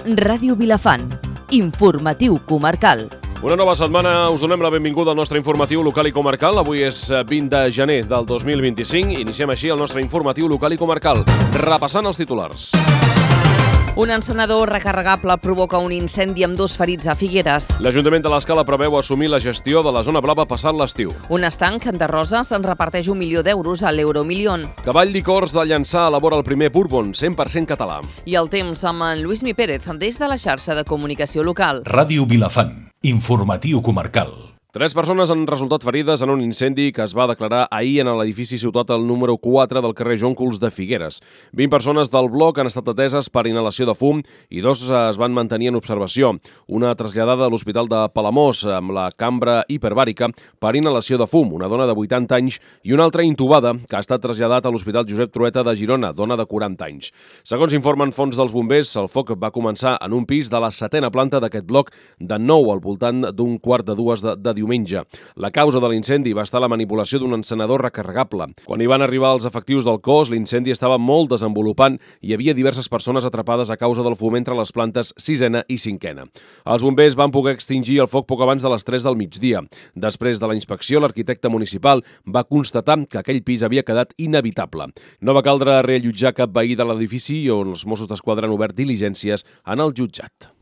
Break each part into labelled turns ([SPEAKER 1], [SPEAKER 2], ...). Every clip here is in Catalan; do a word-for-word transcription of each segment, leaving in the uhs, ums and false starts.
[SPEAKER 1] Ràdio Vilafant. Informatiu comarcal.
[SPEAKER 2] Una nova setmana, us donem la benvinguda al nostre informatiu local i comarcal. Avui és vint de gener del dos mil vint-i-cinc. Iniciem així el nostre informatiu local i comarcal, repassant els titulars.
[SPEAKER 1] Un encenedor recarregable provoca un incendi amb dos ferits a Figueres.
[SPEAKER 2] L'Ajuntament de l'Escala preveu assumir la gestió de la zona blava passat l'estiu.
[SPEAKER 1] Un estanc de Roses en reparteix un milió d'euros a l'Euromilion.
[SPEAKER 2] Cavall Licors de Llançà elabora el primer bourbon cent per cent català.
[SPEAKER 1] I el temps amb en Lluís Mi Pérez des de la xarxa de comunicació local.
[SPEAKER 3] Ràdio Vilafant. Informatiu comarcal.
[SPEAKER 2] Tres persones han resultat ferides en un incendi que es va declarar ahir en l'edifici Ciutat el número quatre del carrer Jóncols de Figueres. vint persones del bloc han estat ateses per inhalació de fum i dos es van mantenir en observació. Una traslladada a l'Hospital de Palamós amb la cambra hiperbàrica per inhalació de fum, una dona de vuitanta anys, i una altra intubada que ha estat traslladat a l'Hospital Josep Trueta de Girona, dona de quaranta anys. Segons informen fonts dels bombers, el foc va començar en un pis de la setena planta d'aquest bloc de nou al voltant d'un quart de dues de, de diumenge. La causa de l'incendi va estar la manipulació d'un encenedor recarregable. Quan hi van arribar els efectius del cos, l'incendi estava molt desenvolupant i hi havia diverses persones atrapades a causa del fum entre les plantes sisena i cinquena. Els bombers van poder extingir el foc poc abans de les tres del migdia. Després de la inspecció, l'arquitecte municipal va constatar que aquell pis havia quedat inhabitable. No va caldre reallotjar cap veí de l'edifici on els Mossos d'Esquadra han obert diligències en el jutjat.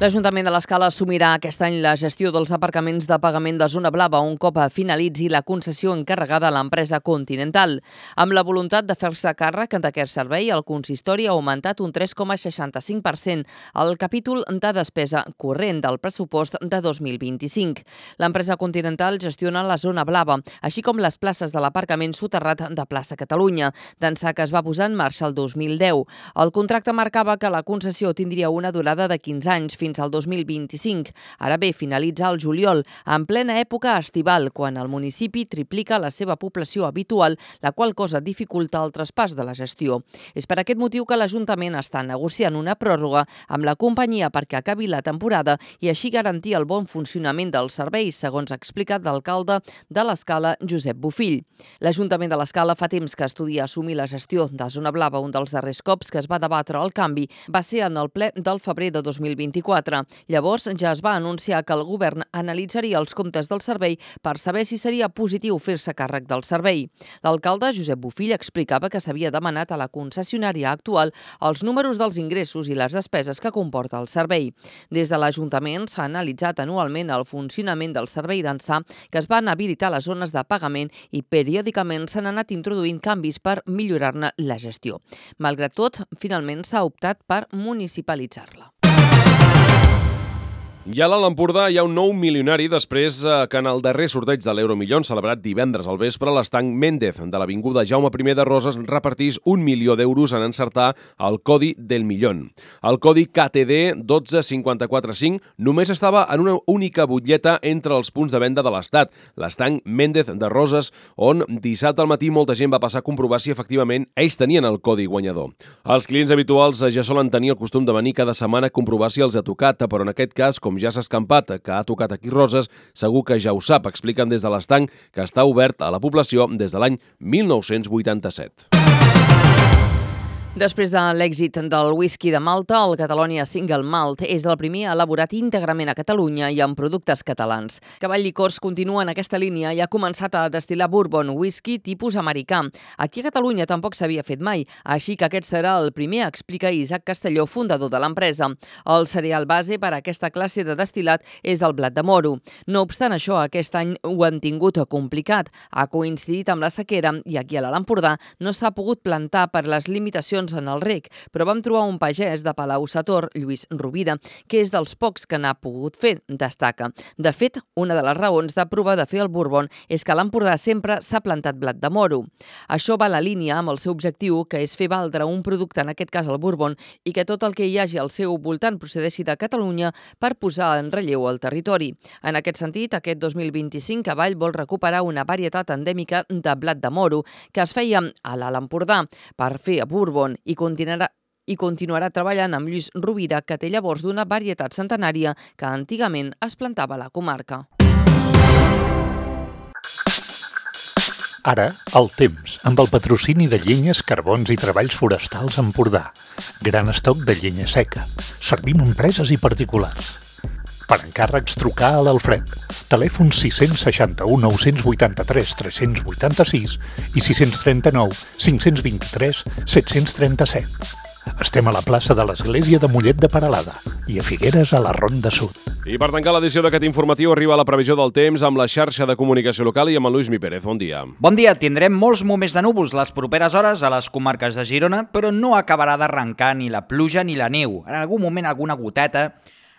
[SPEAKER 1] L'Ajuntament de l'Escala assumirà aquest any la gestió dels aparcaments de pagament de zona blava un cop finalitzi la concessió encarregada a l'empresa Continental. Amb la voluntat de fer-se càrrec d'aquest servei, el consistori ha augmentat un tres coma seixanta-cinc per cent el capítol de despesa corrent del pressupost de dos mil vint-i-cinc. L'empresa Continental gestiona la zona blava, així com les places de l'aparcament soterrat de Plaça Catalunya, d'ençà que es va posar en marxa el dos mil deu. El contracte marcava que la concessió tindria una durada de quinze anys fins al dos mil vint-i-cinc. Ara bé, finalitza el juliol, en plena època estival, quan el municipi triplica la seva població habitual, la qual cosa dificulta el traspàs de la gestió. És per aquest motiu que l'Ajuntament està negociant una pròrroga amb la companyia perquè acabi la temporada i així garantir el bon funcionament del servei, segons ha explicat l'alcalde de l'Escala, Josep Bofill. L'Ajuntament de l'Escala fa temps que estudia assumir la gestió de Zona Blava. Un dels darrers cops que es va debatre el canvi va ser en el ple del febrer de dos mil vint-i-quatre. Llavors ja es va anunciar que el govern analitzaria els comptes del servei per saber si seria positiu fer-se càrrec del servei. L'alcalde Josep Bofill explicava que s'havia demanat a la concessionària actual els números dels ingressos i les despeses que comporta el servei. Des de l'Ajuntament s'ha analitzat anualment el funcionament del servei d'ençà que es van habilitar les zones de pagament i periòdicament s'han anat introduint canvis per millorar-ne la gestió. Malgrat tot, finalment s'ha optat per municipalitzar-la.
[SPEAKER 2] I a l'Alt Empordà hi ha un nou milionari després que en el darrer sorteig de l'Euromilion, celebrat divendres al vespre, l'estanc Méndez de l'avinguda Jaume primer de Roses repartís un milió d'euros en encertar el codi del Millón. El codi K T D un dos cinc quatre cinc només estava en una única butlleta entre els punts de venda de l'Estat, l'estanc Méndez de Roses, on dissabte al matí molta gent va passar a comprovar si efectivament ells tenien el codi guanyador. Els clients habituals ja solen tenir el costum de venir cada setmana a comprovar si els ha tocat, però en aquest cas, com ja s'ha escampat que ha tocat aquí Roses, segur que ja ho sap, expliquen des de l'estanc que està obert a la població des de l'any mil nou-cents vuitanta-set.
[SPEAKER 1] Després de l'èxit del whisky de Malta, el Catalonia Single Malt és el primer elaborat íntegrament a Catalunya i amb productes catalans. Cavall Licors continua en aquesta línia i ha començat a destil·lar bourbon, whisky tipus americà. Aquí a Catalunya tampoc s'havia fet mai, així que aquest serà el primer, explica Isaac Castelló, fundador de l'empresa. El cereal base per a aquesta classe de destil·lat és el blat de moro. No obstant això, aquest any ho han tingut complicat. Ha coincidit amb la sequera i aquí a l'Alt Empordà no s'ha pogut plantar per les limitacions en el reg, però vam trobar un pagès de Palau-sator, Lluís Rovira, que és dels pocs que n'ha pogut fer, destaca. De fet, una de les raons de provar de fer el bourbon és que a l'Empordà sempre s'ha plantat blat de moro. Això va a la línia amb el seu objectiu, que és fer valdre un producte, en aquest cas el bourbon, i que tot el que hi hagi al seu voltant procedeixi de Catalunya per posar en relleu el territori. En aquest sentit, aquest dos mil vint-i-cinc Cavall vol recuperar una varietat endèmica de blat de moro que es feia a l'Alt Empordà per fer bourbon i continuarà i continuarà treballant amb Lluís Rovira, que té llavors d'una varietat centenària que antigament es plantava a la comarca.
[SPEAKER 3] Ara, el temps, amb el patrocini de Llenyes, Carbons i Treballs Forestals Empordà. Gran estoc de llenya seca. Servim empreses i particulars. Per encàrrecs, trucar a l'Alfred. Telèfon sis seixanta u nou vuit tres tres vuit sis i sis tres nou cinc dos tres set tres set. Estem a la plaça de l'Església de Mollet de Peralada i a Figueres, a la Ronda Sud.
[SPEAKER 2] I per tancar l'edició d'aquest informatiu arriba la previsió del temps amb la xarxa de comunicació local i amb el Lluís Mi Pérez. Bon dia.
[SPEAKER 4] Bon dia. Tindrem molts moments de núvols les properes hores a les comarques de Girona, però no acabarà d'arrencar ni la pluja ni la neu. En algun moment alguna goteta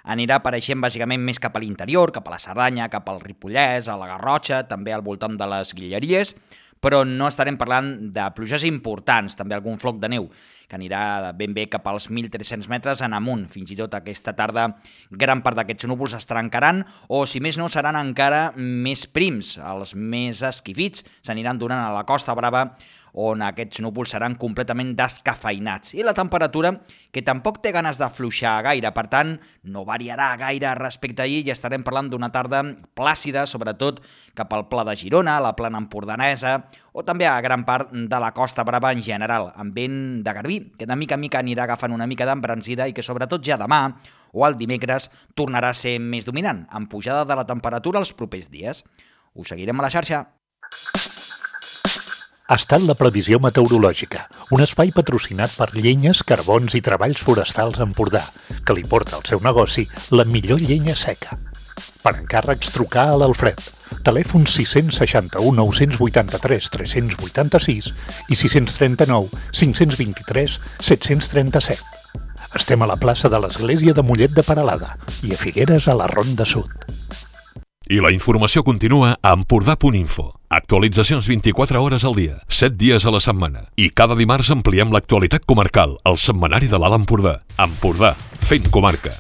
[SPEAKER 4] anirà apareixent bàsicament més cap a l'interior, cap a la Cerdanya, cap al Ripollès, a la Garrotxa, també al voltant de les Guilleries, però no estarem parlant de pluges importants, també algun floc de neu, que anirà ben bé cap als mil tres-cents metres en amunt. Fins i tot aquesta tarda gran part d'aquests núvols es trencaran o, si més no, seran encara més prims. Els més esquifits s'aniran donant a la Costa Brava, on aquests núvols seran completament descafeinats. I la temperatura, que tampoc té ganes d'afluixar gaire, per tant, no variarà gaire respecte a ahir i estarem parlant d'una tarda plàcida, sobretot cap al Pla de Girona, a la plana empordanesa, o també a gran part de la Costa Brava en general, amb vent de garbí, que de mica en mica anirà agafant una mica d'embranzida i que sobretot ja demà o el dimecres tornarà a ser més dominant, amb pujada de la temperatura els propers dies. Us seguirem a la xarxa.
[SPEAKER 3] Ha estat la previsió meteorològica, un espai patrocinat per Llenyes, Carbons i Treballs Forestals Empordà, que li porta al seu negoci la millor llenya seca. Per encàrrecs, trucar a l'Alfred. Telèfon sis seixanta u nou vuit tres tres vuit sis i sis tres nou cinc dos tres set tres set. Estem a la plaça de l'Església de Mollet de Peralada i a Figueres, a la Ronda Sud.
[SPEAKER 5] I la informació continua a empordà punt info. Actualitzacions vint-i-quatre hores al dia, set dies a la setmana. I cada dimarts ampliem l'actualitat comarcal al setmanari de l'Alt Empordà. Empordà, fent comarca.